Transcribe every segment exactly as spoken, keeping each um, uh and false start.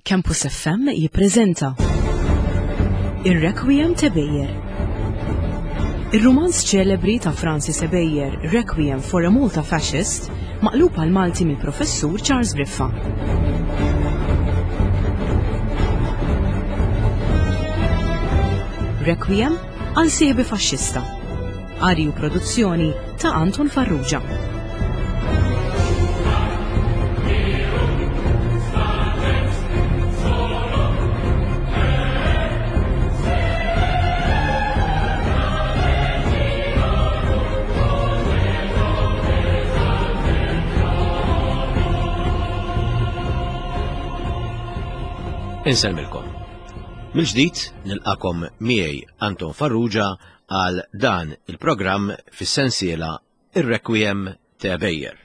Campus F M jippreżenta Ir-Requiem t'Ebejer. Ir-rumanz ċelebri ta' Francis Ebejer, Requiem for a Malta Fascist, maqlub għal Malti mill-Professur Charles Briffa. Requiem għal sieħbi faxxista. Qari u produzzjoni ta' Anton Farrugia. Insellmilkom. Mill-ġdid nilqakom miegħi Anton Farrugia għal dan il-programm fis-sensiela Ir-Requiem t'Ebejer.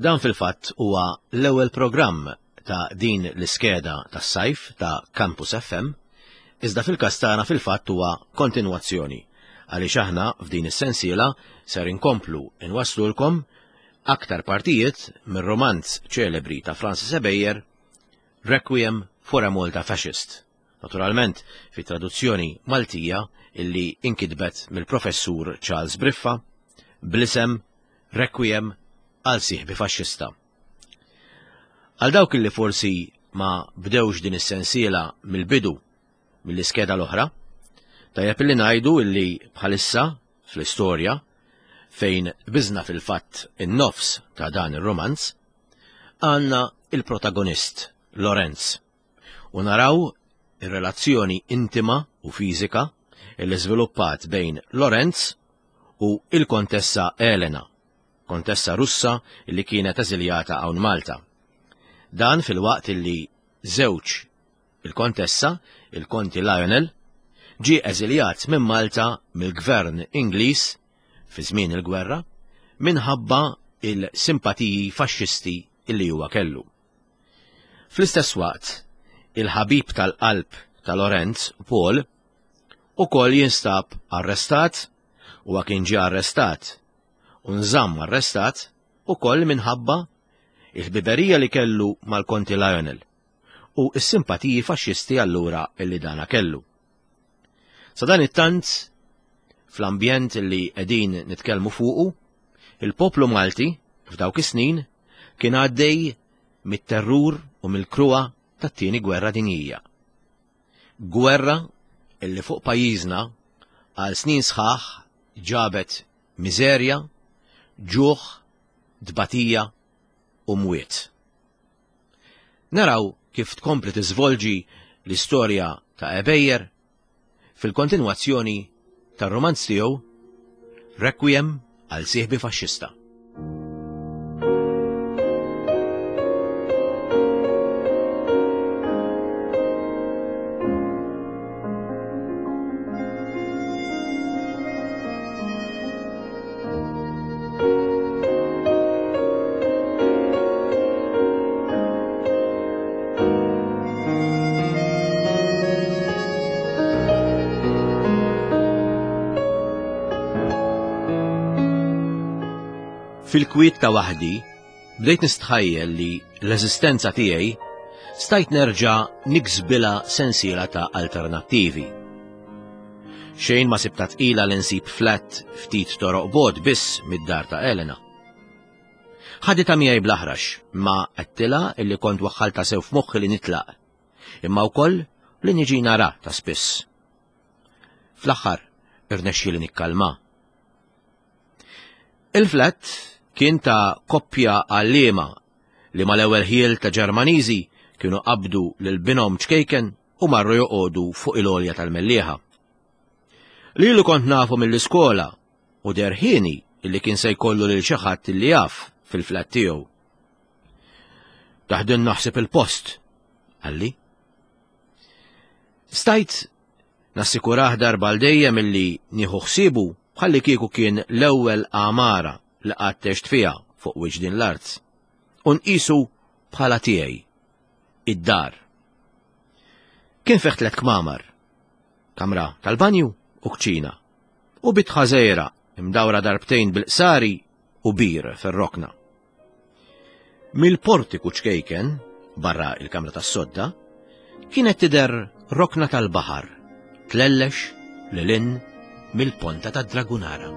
Dan fil-fatt huwa l-ewwel programm ta' din l-iskeda tas-sajf ta' Campus F M, iżda fil-każ tagħna fil-fatt huwa kontinwazzjoni għaliex aħna f'din is-sensiela ser inkomplu inwasslulkom aktar partijiet mir-romanz ċelebri ta' Francis Ebejer, Requiem for a Malta Fascist. Naturalment, fi traduzzjoni Maltija illi inkitbet mill-professur Charles Briffa bl-isem Requiem għal sieħbi faxxista. Għal dawk illi forsi ma bdewx din is-sensiela mill-bidu mill-iskeda l-oħra, tajjeb illi ngħidu illi bħalissa fl-istorja fejn biżna fil-fatt in-nofs ta' dan ir-romanz, għandna il-protagonist Lorenz u naraw ir-relazzjoni intima u fiżika illi żviluppat bejn Lorenz u il-Kontessa Elena, kontessa Russa illi kienet eżiljata hawn Malta. Dan fil-waqt illi żewġ il-Kontessa, il-Konti Lionel, ġie eżiljat minn Malta mill-Gvern Ingliż fi żmien il-gwerra minħabba il-simpatiji faxxisti illi huwa kellu. Fl-istess waqt, il-ħabib tal-qalb ta' Lorenz, Paul, ukoll jinstab arrestat, u kien ġie arrestat u nżamm arrestat ukoll minħabba il-ħbiberija li kellu mal-Konti Lionel u s-simpatiji faxxisti allura illi dana kellu. Sa dan it-tant, fl-ambjent li qegħdin nitkellmu fuqu, il-poplu Malti f'dawk is-snin kien għaddej mit-terrur u mill-kruha tat-tieni gwerra dinjija. Gwerra illi fuq pajjiżna għal snin sħaħ ġabet miżerja, ġuħ, tbatija u mwiet. Naraw kif tkompli tiżvolġi l-istorja ta' Ebejer fil-kontinwazzjoni tar-romanz tiegħu Requiem għal sieħbi faxxista. Fil-kwiet ta' waħdi, bdejt nistħajjel li l-eżistenza tiegħi stajt nerġa' niksbilha sensiela ta' alternattivi. Xejn ma sibta tqila li nsib flat ftit toroq bogħod biss mid-dar ta' Elena. Ħaditha miegħi bl-aħrax, ma għedtilha illi kont waħħalta sew f'moħħi li nitlaq, imma wkoll li niġi nara ta' spiss. Fl-aħħar irnexxieli nikkalma. Il-flat kien ta' koppja għalliema li mal-ewwel ħiel ta' Ġermaniżi kienu qabdu lil binhom ċkejken u marru joqogħdu fuq il-għolja tal-Mellieħa. Lilu kont nafu mill-iskola u derħini illi kien se jkollu lil xi ħadd illi jaf fil-flat tiegħu. Taħdin naħseb il-post, qalli. Stajt nassikurah darba għal dejjem illi nieħu ħsiebu bħalli kieku kien l-ewwel għamara li qatt għext fiha fuq wiċċ din l-art. U nqisu bħala tiegħi, id-dar. Kien fih tliet kmamar, kamra tal-banju u kċina, u bitħa żgħira imdawra darbtejn bil-qsari u bir fir-rokna. Mill-portiku ċkejken, barra il-kamra tas-sodda, Kienet tidher rokna tal-baħar, tlellex lil hinn mill-ponta tad-Dragunara.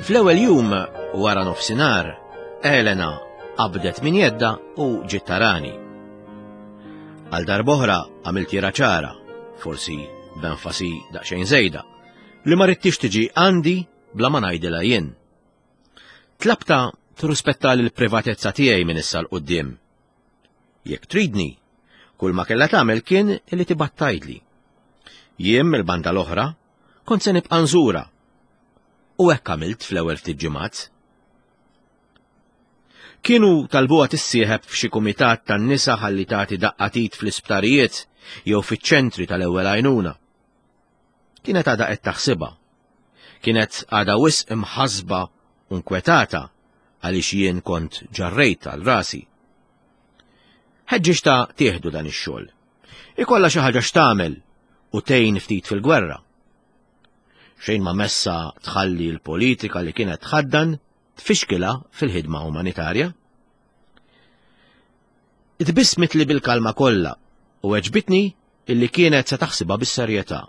Fl-ewwel jum wara nofsinhar, Elena qabdet minn jedda u ġiet tarani. Għal darb'oħra għamilt jira ċara, forsi b'enfasi daqsxejn żejda, li ma ridtix tiġi għandi bla ma ngħidilha jien. Tlabta tirrispetta l-privatezza tiegħi minn issa 'l quddiem. Jekk tridni, kull ma kellha tagħmel kien li tibgħat tgħidli. Jien mill-banda l-oħra kont se nibqa' nżura. U hekk għamilt fl-ewwel ftit ġimgħat. Kienu talbuha tissieħeb f'xi kumitat tan-nisa ħalli tagħti daqqa t'id fl-isptarijiet jew fiċ-ċentri tal-ewwel għajnuna. Kienet għadha qed taħsibha. Kienet għadha wisq imħasba u nkwetata għaliex jien kont ġarrejt għal rasi. Ħeġġiġtha tieħdu dan ix-xogħol. Ikollha xi ħaġa x'tagħmel u tgħin ftit fil-gwerra. Xejn ma messa tħalli l-politika li kienet tħaddan tfixkilha fil-ħidma umanitarja. Tbissmet li bil-kalma kollha u weġbitni illi kienet se taħsibha bis-serjetà.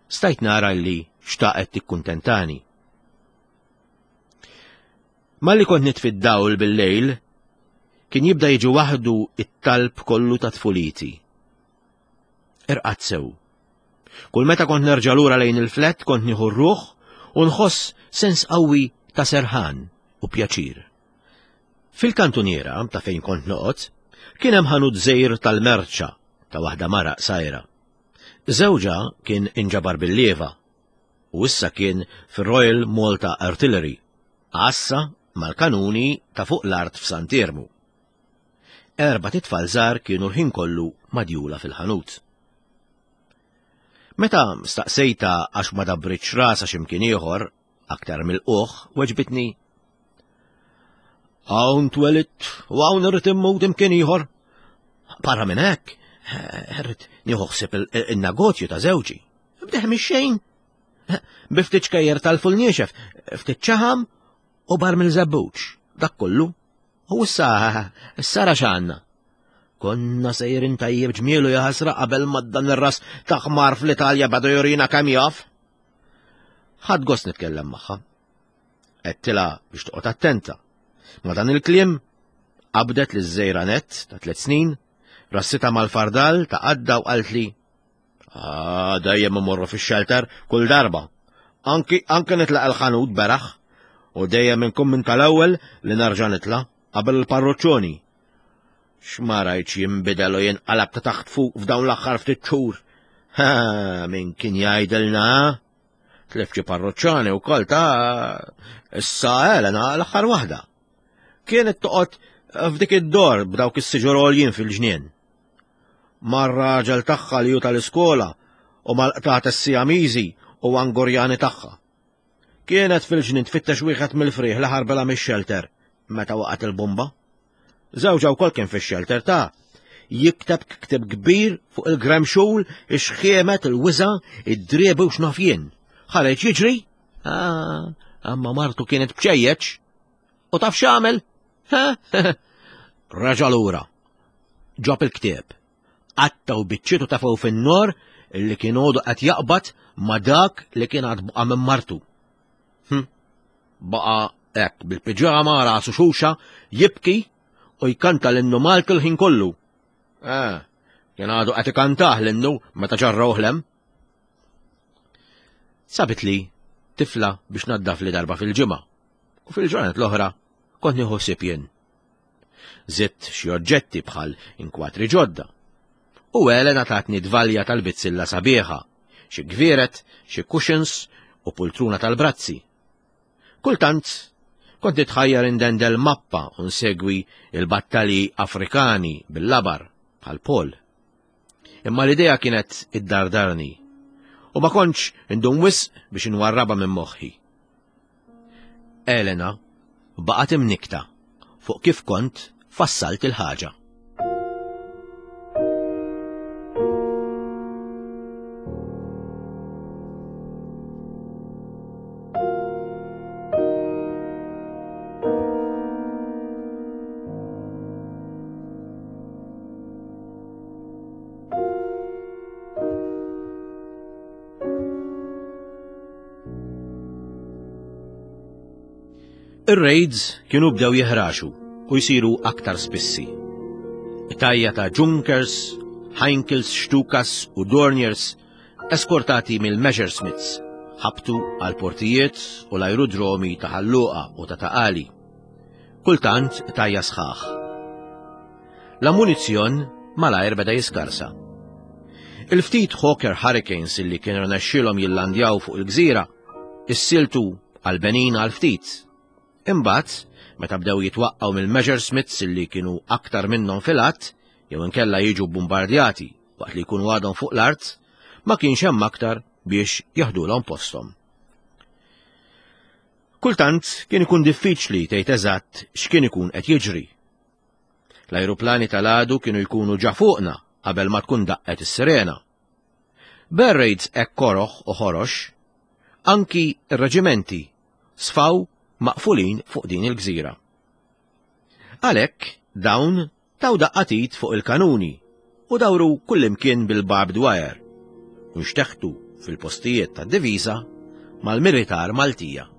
Stajt nara illi xtaqet tikkuntentani. Malli kont nitfi d-dawl bil-lejl, kien jibda jiġi waħdu it-talb kollu ta' tfuliti. Irqadt sew. Kull meta kont nerġa' lura lejn il-flet kont nieħu r-ruħ u nħoss sens qawwi ta' serħan u pjaċir. Fil-kantuniera ta' fejn kont noqgħod, kien hemm ħanut żgħir tal-merċa ta' waħda mara qsajra. Żewġha kien inġabar bil-lieva u issa kien fir-Royal Malta Artillery, għassa mal-kanuni ta' fuq l-art f'Sant'Iermu. Erbat itfal żgħar kienu l-ħin kollu madjula fil-ħanut. Meta staqsejta għax ma dabbritx rasha x'imkien ieħor aktar mill-qoħ, weġbitni: Hawn twelidt u hawn irrid immut imkien ieħor. Barra minn hekk, irrid nieħu ħsieb in-negozju ta' żewġi. Bdeħ mix-xejn. Bi ftit xkejjer tal-ful niexef, ftit ċaħam u bar mill-żebbuġ. Dak kollu. U issa, issa ra x'għandna. Konna sejrin tajjeb ġmielu jaħasra qabel ma dan ir-ras ta' ħmar fl-Italja beda jurina kemm jaf. Ħadt gost nitkellem magħha. Għedtilha biex toqgħod attenta. Ma dan il-kliem qabdet li żejra net ta' tliet snin, rassita mal-fardal ta' għadda u qaltli: Ah, dejjem imorru fix-xelter kull darba. Anki anke nitlaq il-ħanut beraħ u dejjem inkun minn tal-ewwel li nerġa' nitla' qabel il-parroċċoni. X'ma rajtx jinbidel u jinqalab ta' taħt fuq f'dawn l-aħħar ftit xhur. Ha, min kien jgħidilna? Tlef xi parroċċani wkoll ta' issa Elena l-aħħar waħda. Kienet toqgħod f'dik id-dor b'dawk is-siġur għoljin fil-ġnien. Mar-raġel tagħha li hu tal-iskola u mal-qtates Sijamiżi u Angorjani tagħha. Kienet fil-ġnien tfittex wieħed mill-frieħ li ħarbela mix-xelter meta waqgħet il-bomba. Żewġha wkoll kien fix-xelter ta' jikteb ktib kbir fuq il-gremxul, ix-xħiemet, il-wiża, id-driebi u x'naf jien. Ħareġ jiġri, ah, amma martu kienet bċejjeċ. U taf x'għamel? Raġa' lura. Ġab il-ktieb. Qatta u biċċietu tafgħu fin-nor illi kien għodu qed jaqbad ma' dak li kien għad baqa' minn martu. Hm. Baqa' hekk bil-piġama rasu xuxa jibki u jkanta l-innu Malti l-ħin kollu. Eh, kien għadu qed ikantah l-innu meta ġarrawh lem. Sabit li tifla biex naddaf li darba fil-ġimgħa u fil-ġranet l-oħra kont nieħu ħsieb jien. Żidt xi oġġetti bħal inkwatri ġodda. U Elena tatni dvalja tal-bizzilla sabiħa, xi gvieret, xi cushions u pultruna tal-brazzi. Kultant kont nitħajjar indendel mappa u nsegwi il-battalji Afrikani bil-labar bħal Paul. Imma l-idea kienet iddardarni u ma kontx indum wisq biex inwarrabha minn moħħi. Elena baqgħet imnikta fuq kif kont fassalt il-ħaġa. Ir-raids kienu bdew jeħraxu u jsiru aktar spissi. Tajja ta' Junkers, Heinkels, Stukas u Dorniers eskortati mill-Messerschmitts ħabtu għal portijiet u l-aerodromi ta' Ħal Luqa u ta' Ta' Qali. Kultant tajja sħaħ. L-ammunizzjon malajr beda jiskarsa. Il-ftit Hawker Hurricanes illi kienu rnexxielhom jillandjaw fuq il-gżira issiltu għal Benin għal ftit. Imbagħad, meta bdew jitwaqqgħu mill-Messerschmitts illi kienu aktar minnhom fil-att, jew inkella jiġu bombardjati waqt li jkunu għadhom fuq l-art, ma kienx hemm aktar biex jaħdulhom posthom. Kultant kien ikun diffiċli tgħid eżatt x'kien ikun qed jiġri. L-ajruplani tal-għadu kienu jkunu ġa fuqna qabel ma tkun daqqet is-sirena. B'air raids hekk koroħ u ħorox, anki r-reġimenti sfaw maqfulin fuq din il-gżira. Għalhekk dawn taw daqqa t'id fuq il-kanuni u dawru kullimkien bil-barbed wire u nxteħtu fil-postijiet tad-diviża mal-militar Maltija.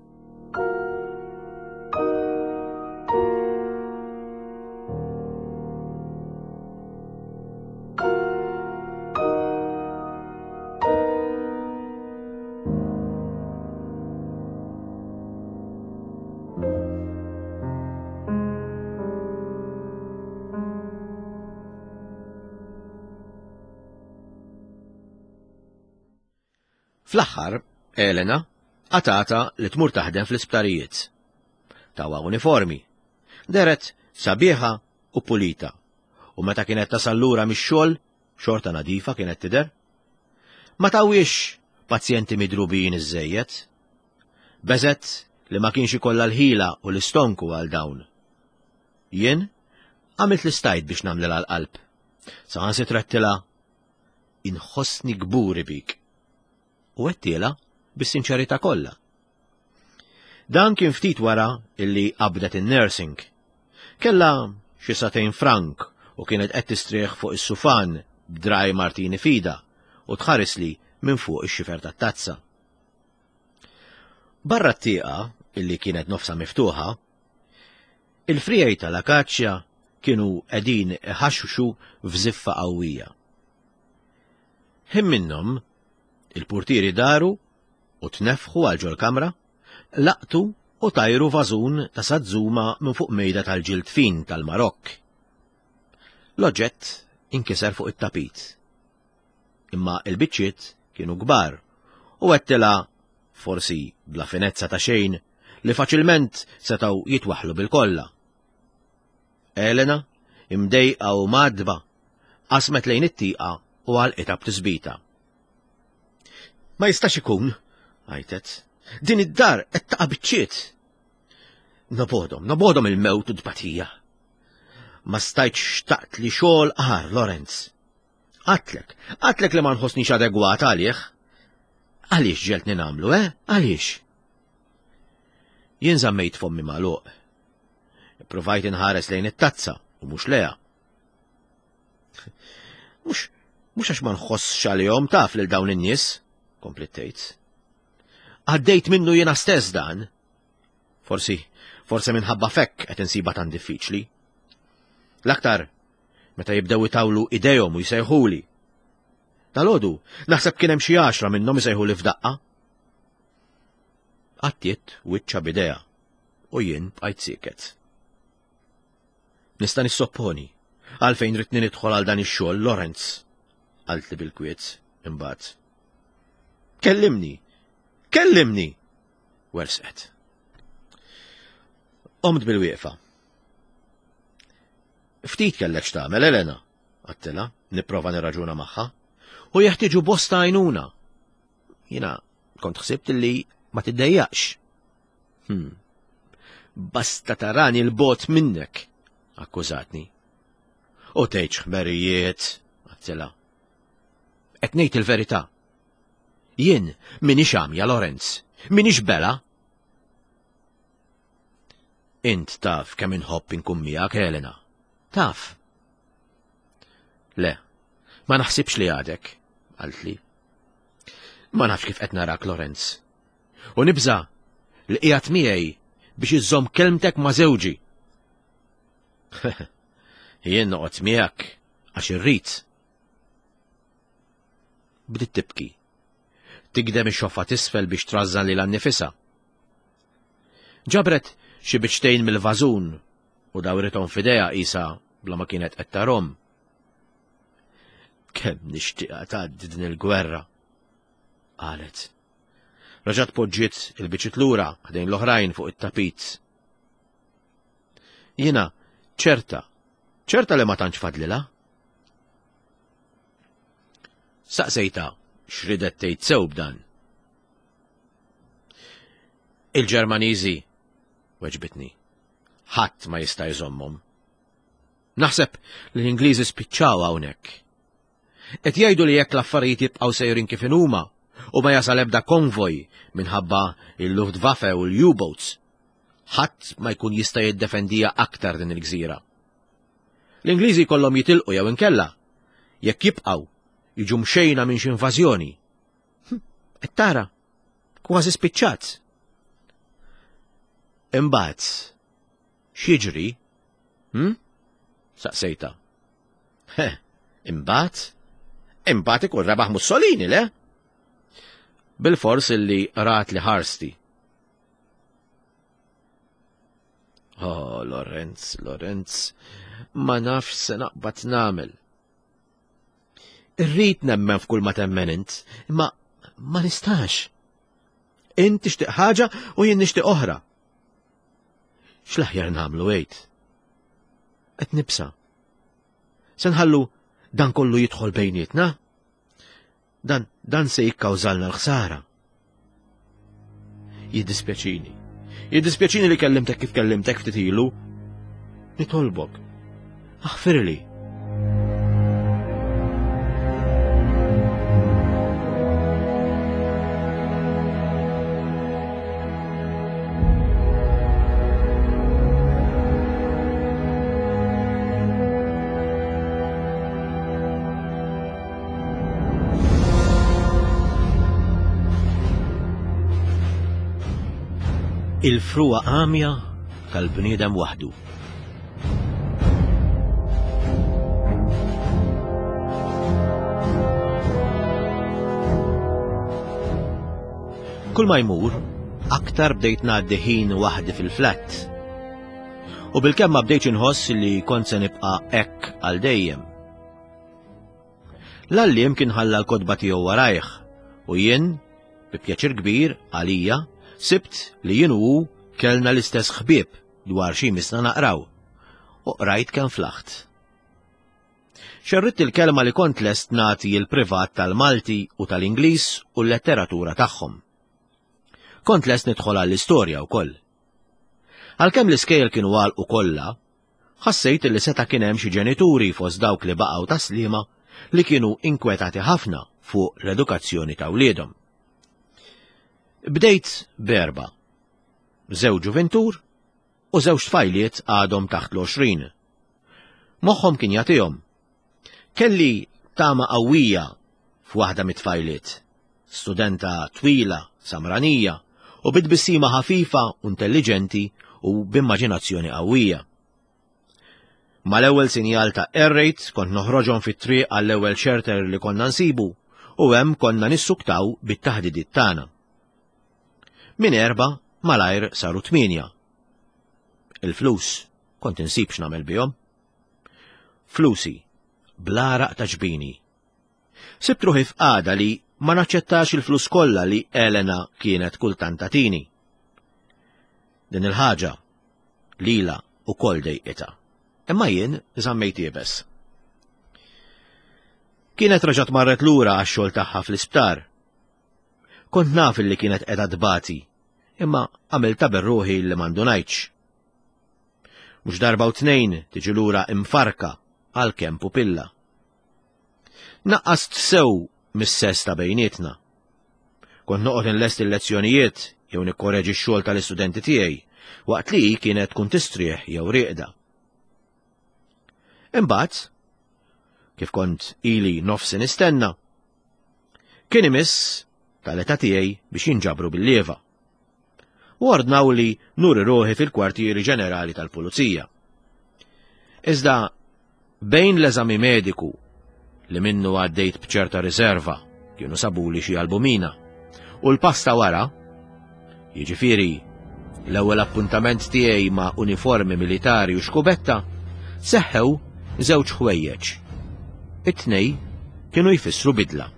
Fl-aħħar, Elena qatgħetha li tmur taħdem fl-isptarijiet. Tawha uniformi. Dehret sabiħa u pulita. U meta kienet tasal lura mix-xogħol, xorta nadifa kienet tidher. Ma tawhiex pazjenti midrubin iżżejjed. Beżgħet li ma kienx ikollha l-ħila u l-istonku għal dawn. Jien għamilt li stajt biex nagħmlilha l-qalb. Saħansitra għedtilha inħossni kburi bik. U għedtilha bis-sinċerità kollha. Dan kien ftit wara illi qabdet in-nursing. Kella xi sagħtejn frank u kienet qed tistrieħ fuq is-sufan b'dry martini f'idha u tħares li minn fuq ix-xifer tat-tazza. Barra t-tieqa illi kienet nofsa miftuħa, il-friegħi tal-akaċja kienu qegħdin iħaxxu f'żiffa qawwija. Ħin minnhom il-portieri daru u tnefħu għal ġol-kamra, laqtu u tajru vażun ta' sazzuma minn fuq mejda tal-ġild fin tal-Marokk. L-oġġett inkiser fuq it-tapit. Imma il-biċċiet kienu kbar u għedtilha, forsi bla finezza ta' xejn, li faċilment setaw jitwaħlu bil-kolla. Elena, imdejqa u mgħaddba, qasmet lejn it-tieqa u għalqitha b'tisbita. Ma jistax ikun, għajtet, din id-dar qed taqa' biċċiet. Nobgħodhom, nobgħodhom il-mewt u tbatija. Ma stajtx xtaqt li xogħol agħar, Lorenz. Għedtlek, għedtlek li ma nħossnix adegwata għalih. Għaliex ġegħeltni nagħmlu, eh? Għaliex? Jien żammejt fommi magħluq. Provajt inħares lejn it-tazza u mhux lejha. Mhux mhux għax ma nħossx għalihom taf lil dawn in-nies, kompliet tgħid. Għaddejt minnu jiena stess dan. Forsi, forsi minħabba f'hekk qed insiba tan diffiċli. L-aktar, meta jibdew itawlu idejhom u jsejħuli. Dalgħodu, naħseb kien hemm xi għaxra minnhom isejħuli f'daqqa. Għattiet wiċċha b'idejha u jien bqajt sieket. Nista' nissopponi għalfejn ridtni nidħol għal dan ix-xogħol Lorenz, qaltli bil-kwiet imbagħad. Kellimni, kellimni, wersqet. Qomt bil-wieqfa. Ftit kellek x'tagħmel, Elena, għedtilha, nipprova nirraġuna magħha, u jeħtieġu bosta għajnuna. Jiena kont ħsibt li ma tiddejjaqx. Hmm. Basta tarani l-bot minnek, akkużatni. U tgħidx ħmerijiet, għedtilha. Qed ngħid il-verità. Jien minix għamja, Lorenz, minix bela. Int taf kemm inħobb inkun miegħek, Elena. Taf. Le, ma naħsibx li għadek, qaltli. Ma nafx kif qed narak, Lorenz. U nibża li qiegħed miegħi biex iżżomm kelmtek ma' żewġi. Jien noqgħod miegħek għax irrid. Bdiet tibki. Tigdem ix-xoffa t'isfel biex trażżan lilha nnifisha. Ġabret xi biċċtejn mill-vażun u dawrithom f'idejha qisha bla ma kienet qed tarhom. Kemm nixtieqha tgħaddi din il-gwerra, qalet. Raġat poġġiet il-biċċiet lura ħdejn l-oħrajn fuq it-tapit. Jiena ċerta, ċerta li ma tantx fadlilha. Saqsejta x'ridet tgħid sew b'dan. Il-Ġermaniżi, weġbitni, ħadd ma jista' jżommhom. Naħseb li l-Ingliżi spiċċaw hawnhekk. Qed jgħidu li jekk l-affarijiet jibqgħu sejrin kif inhuma u ma jasal ebda konvoj minħabba il-Luftwaffe u l-U-boats, ħadd ma jkun jista' jiddefendija aktar din il-gżira. L-Ingliżi jkollhom jitilqu jew inkella, jekk jibqgħu jiġu mxejna minn xi invażjoni. Qed tara, kważi spiċċat. Imbagħad, x'jiġri? Hm? Saqsejta. He, imbagħad? Imbagħad ikun rebaħ Mussolini, le? Bil-fors illi rat li ħarsti. Oh, Lorenz, Lorenz, ma nafx se naqbad nagħmel. Irrid nemmen f'kull ma temmen int, imma ma nistax. Int tixtieq ħaġa u jien nixtieq oħra. X'l-aħjar nagħmlu għid? Qed nibsa. Se nħallu dan kollu jidħol bejnietna? Dan, dan se jikkawżalna l-ħsara. Jiddispjaċini. Jiddispjaċini li kellimtek kif kellimtek ftit ilu. Nitolbok. Aħfirli. Il-frugħa għamja tal-bniedem waħdu. Kull ma jmur, aktar bdejt ngħaddi ħin waħdi fil-flat. U bilkemm ma bdejtx inħoss li kont se nibqa' hekk għal dejjem. L-għalliem kien ħalla l-kotba tiegħu warajh u jien, bi pjaċir kbir għalija, sibt li jien u hu kellna l-istess ħbieb dwar xi misna naqraw u qrajt kemm flaħt. Xerritt il-kelma li kont lest nagħti l-privat tal-Malti u tal-Ingliż u l-letteratura tagħhom. Kont lest nidħol għall-istorja wkoll. Għalkemm l-iskejjel kienu għalqu kollha, ħassejt li seta' kien hemm xi ġenituri fost dawk li baqgħu taslima li kienu inkwetati ħafna fuq l-edukazzjoni ta' wliedhom. Bdejt b'erba', żewġ ġuventur u żewġ tfajliet għadhom taħt l-għoxrin. Moħħhom kien jagħtihom. Kelli tama qawwija f'waħda mit-tfajliet, studenta twila, samranija, u bit-tbissima ħafifa u intelligenti u b'immaġinazzjoni qawwija. Mal-ewwel sinjal ta' air raid kont noħroġhom fit-triq għall-ewwel shelter li konna nsibu u hemm konna nissuktaw bit-taħdidiet tagħna. Min erba' malajr saru tmienja. Il-flus kont insib x'nagħmel bihom. Flusi, bl-għaraq ta' ġbini. Sibt ruħi f'qagħda li ma naċċettax il-flus kollha li Elena kienet kultant tagħtini. Din il-ħaġa lila ukoll dejqitha. Imma jien żammejt iebes. Kienet reġgħet marret lura għax-xogħol tagħha fl-isptar. Kont naf li kienet qiegħda tbati, imma għamilta berruħi li m'għandunajtx. Mhux darba u tnejn tiġi lura imfarka għalkemm pupilla. Naqqast sew mis-sess ta' bejnietna. Kont noqgħod inlesti l-lezzjonijiet jew nikkoreġi x-xogħol tal-istudenti tiegħi waqt li hi kienet tkun tistrieħ jew rieqda. Imbagħad, kif kont ili nofsi nistenna, kien imiss tal-età tiegħi biex jinġabru bil-lieva. U ordnaw li nuri ruħi fil-kwartieri ġenerali tal-pulizija. Iżda bejn l-eżami mediku li minnu għaddejt b'ċerta riserva kienu sabuli xi albumina u l-pasta wara, jiġifieri l-ewwel appuntament tiegħi ma' uniformi militari u xkubetta, seħħew żewġ ħwejjeġ. It-tnej kienu jfissru bidla.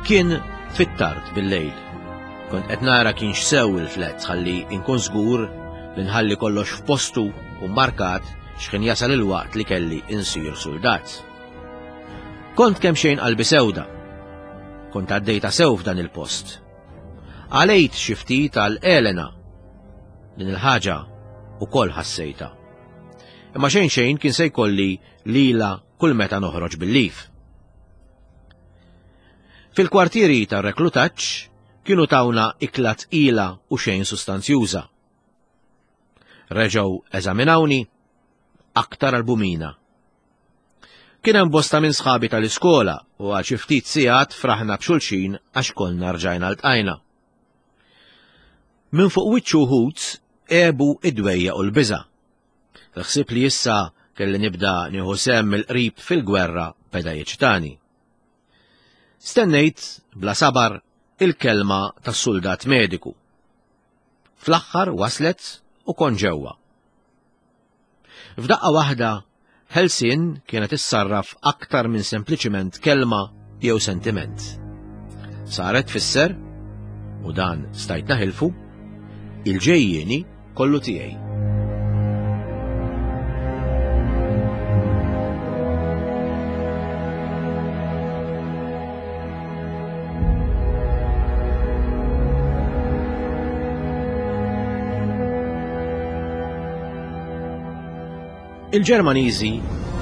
Kien fit-tard bil-lejl. Kont qed nara kienx sew il-flet ħalli inkun żgur li nħalli kollox f'postu u markat x'ħin jasal il-waqt li kelli insir suldat. Kont kemm xejn qalbi sewda. Kont għaddejta sew f'dan il-post. Għalejt xi ftit għal Elena. Din il-ħaġa ukoll ħassejta. Imma xejn xejn kien se jkolli lila kull meta noħroġ bil-lif. Fil-kwartieri tar-reklutaġġ kienu tawna ikla tqila u xejn sustanzjuża. Reġgħu eżaminawni aktar albumina. Kien hemm bosta minn sħabi tal-iskola u għal xi ftit sigħat fraħna b'xulxin għax konna rġajna ltqajna. Minn fuq wiċċ uħud għebu id-dwejja u l-biża'. Il-ħsieb li issa kelli nibda nieħu sehem mill-qrib fil-gwerra beda jiċtani. Stennejt bla sabar il-kelma tas-suldat mediku. Fl-aħħar waslet u kon ġewwa. F'daqqa waħda, ħelsien kienet issarraf aktar minn sempliċiment kelma jew sentiment. Saret tfisser, u dan stajt naħilfu, il-ġejjieni kollu tiegħi. Il-Ġermaniżi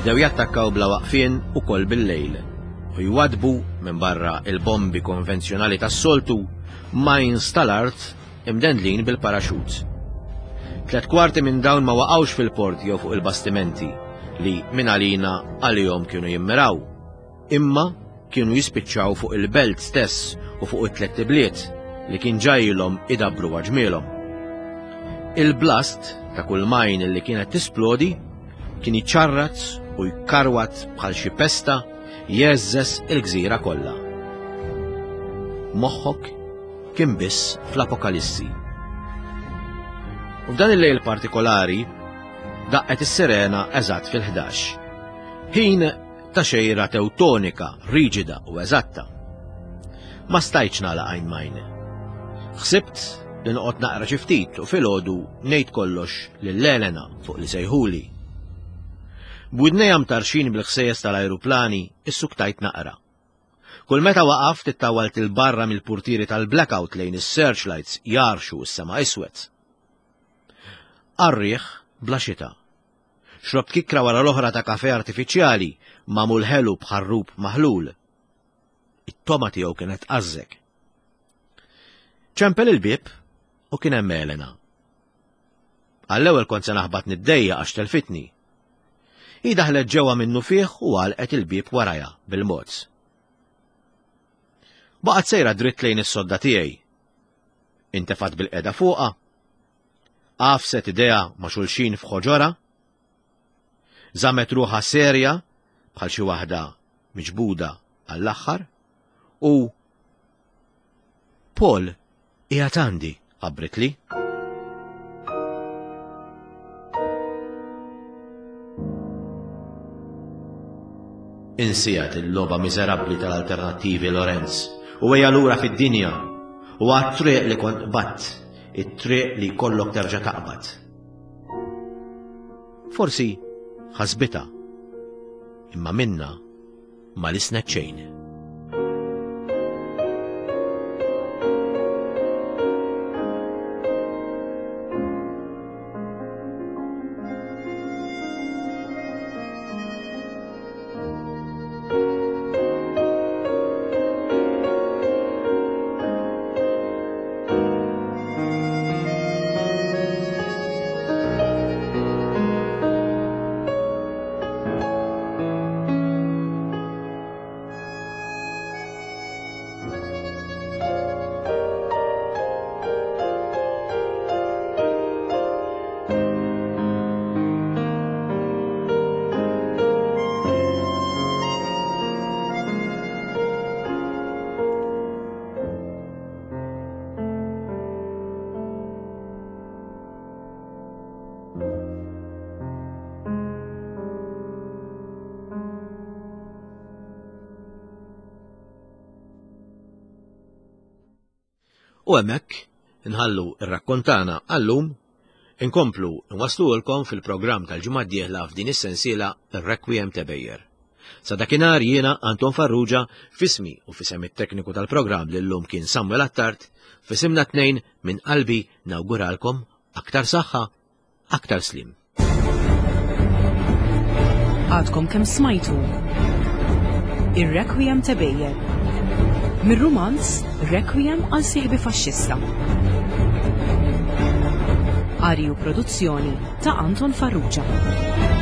bdew jattakkaw bla waqfien ukoll bil-lejl u jwadbu minn barra il-bombi konvenzjonali tas-soltu mines tal-art imdendlin bil-paraxut. Tlet kwarti minn dawn ma waqgħux fil-port jew fuq il-bastimenti li minn għalina għalihom kienu jimmiraw, imma kienu jispiċċaw fuq il-belt stess u fuq it-tliet ibliet li kien ġajilhom idabbru għaġmielhom. Il-blast ta' kull majn li kienet tisplodi kien jiċċarrat u jkarwat bħal xi pesta jeżżes il-gżira kollha. Moħħok kien biss fl-apokalissi. U f'dan il-lejl partikolari daqqet is-sirena eżatt fil-ħdax. Ħin ta' xejra tewtonika, riġida u eżatta. Ma stajtx nagħlaq għajn majn. Ħsibt li noqgħod naqra xi ftit u filgħodu ngħid kollox lil Elena fuq li sejħuli. B'widnejja mtarxin bil-ħsejjes tal-ajruplani issuktajt naqra. Kull meta waqaft ittawalt il-barra mill-purtieri tal-blackout lejn is-searchlights jarxu s-sema iswed. Arriħ bla xita. Xrobt kikra wara l-oħra ta' kafe artifiċjali magħmul ħelu b'ħarrub maħlul. It-toma tiegħu kienet qażżek. Ċempel il-bieb u kien hemm Elena. Għall-ewwel kont se naħbat niddejja għax telfitni. Hi daħlet ġewwa minnu fih u għalqet il-bieb warajha bil-mod. Baqgħet sejra dritt lejn is-sodda tiegħi. Intefat bil-qeda fuqha. Għafset idejha ma' xulxin f'ħoġorha. Żammet ruħha serja bħal xi waħda miġbuda għall-aħħar u Paul qiegħed għandi, ħabbritli. Insiha il-logħba miżerabbli tal-alternattivi, Lorenz, u ejja lura fid-dinja u għat-triq li kont qbadt, it-triq li jkollok terġa' taqbad. Forsi ħasbitha, imma minna ma lissnet xejn. U hemmhekk nħallu r-rakkont tagħna għallum, inkomplu nwaslulkom fil-programm tal-ġimgħa d-dieħla f'din is-sensiela Ir-Requiem ta' Ebejer. Sa dakinhar jiena Anton Farrugia f'ismi u f'isem it-tekniku tal-programm li llum kien Samuel Attard, f'isimna tnejn minn qalbi nawguralkom aktar saħħa, aktar slim. Għadkom kemm smajtu Ir-Requiem ta' Ebejer mir-rumanz Requiem għal sieħbi faxxista. Qari u produzzjoni ta' Anton Farrugia.